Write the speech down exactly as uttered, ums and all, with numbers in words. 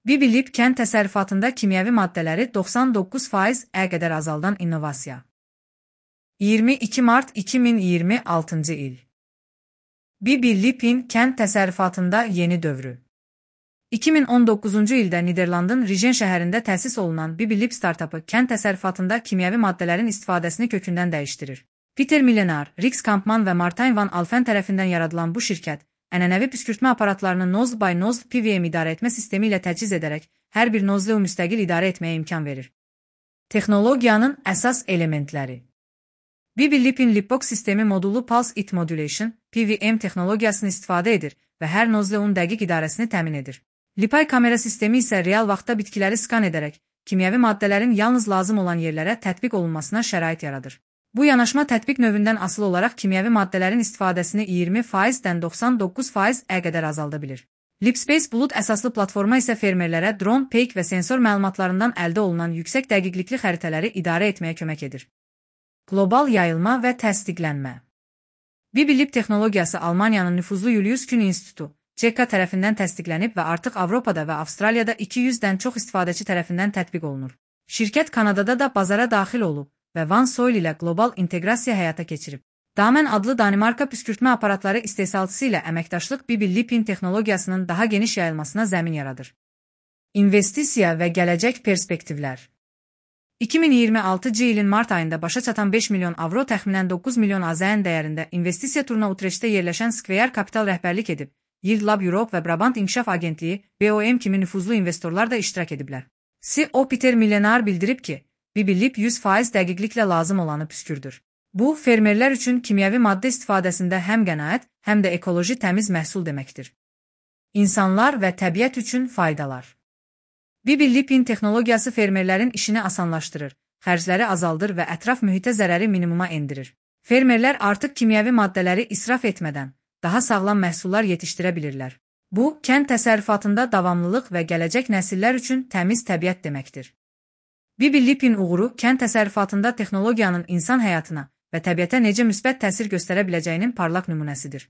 Bibilib kənd təsərrüfatında kimyəvi maddələri doxsan doqquz faiz-ə qədər azaldan innovasiya. iyirmi iki mart iki min iyirmi altıncı il. Bibilibin kənd təsərrüfatında yeni dövrü. iki min on doqquzuncu ildə Niderlandın Rijen şəhərində təsis olunan Bibilib startapı kənd təsərrüfatında kimyəvi maddələrin istifadəsini kökündən dəyişdirir. Peter Millenar, Rix Kampman və Martin van Alphen tərəfindən yaradılan bu şirkət, ənənəvi püskürtmə aparatlarını nozl by nozl P V M idarə etmə sistemi ilə təchiz edərək, hər bir nozlu müstəqil idarə etməyə imkan verir. Texnologiyanın əsas elementləri. Bibilibin Lipbox sistemi modulu Pulse It Modulation, P V M texnologiyasını istifadə edir və hər nozlun dəqiq idarəsini təmin edir. Lipay kamera sistemi isə real vaxtda bitkiləri skan edərək, kimyəvi maddələrin yalnız lazım olan yerlərə tətbiq olunmasına şərait yaradır. Bu yanaşma tətbiq növündən asılı olaraq kimyəvi maddələrin istifadəsini iyirmi faizdən doxsan doqquz faiz-ə qədər azalda bilir. Lipspace bulut əsaslı platforma isə fermerlərə dron, peyk və sensor məlumatlarından əldə olunan yüksək dəqiqlikli xəritələri idarə etməyə kömək edir. Qlobal yayılma və təsdiqlənmə. Bibilib texnologiyası Almaniyanın nüfuzlu Julius Kühn İnstitutu, C K tərəfindən təsdiqlənib və artıq Avropada və Avstraliyada iki yüzdən çox istifadəçi tərəfindən tətbiq olunur. Şirkət Kanadada da bazara daxil olub və OneSoil ilə qlobal inteqrasiya həyata keçirib. Damen adlı Danimarka püskürtmə aparatları istehsalçısı ilə əməkdaşlıq Bibilibin texnologiyasının daha geniş yayılmasına zəmin yaradır. İnvestisiya və gələcək perspektivlər. iki min iyirmi altıncı ilin mart ayında başa çatan beş milyon avro təxminən doqquz milyon A Z N dəyərində investisiya turuna Utrechtdə yerləşən Square Capital rəhbərlik edib. Yield Lab Europe və Brabant İnkişaf Agentliyi B O M kimi nüfuzlu investorlar da iştirak ediblər. C E O Peter Millenar bildirib ki, Bibilib yüz faiz dəqiqliklə lazım olanı püskürdür. Bu, fermerlər üçün kimyəvi maddə istifadəsində həm qənaət, həm də ekoloji təmiz məhsul deməkdir. İnsanlar və təbiət üçün faydalar. Bibilibin texnologiyası fermerlərin işini asanlaşdırır, xərcləri azaldır və ətraf mühitə zərəri minimuma endirir. Fermerlər artıq kimyəvi maddələri israf etmədən daha sağlam məhsullar yetişdirə bilirlər. Bu, kənd təsərrüfatında davamlılıq və gələcək nəsillər üçün təmiz təbiət deməkdir. Bibilibin uğuru kənd təsərrüfatında texnologiyanın insan həyatına və təbiətə necə müsbət təsir göstərə biləcəyinin parlaq nümunəsidir.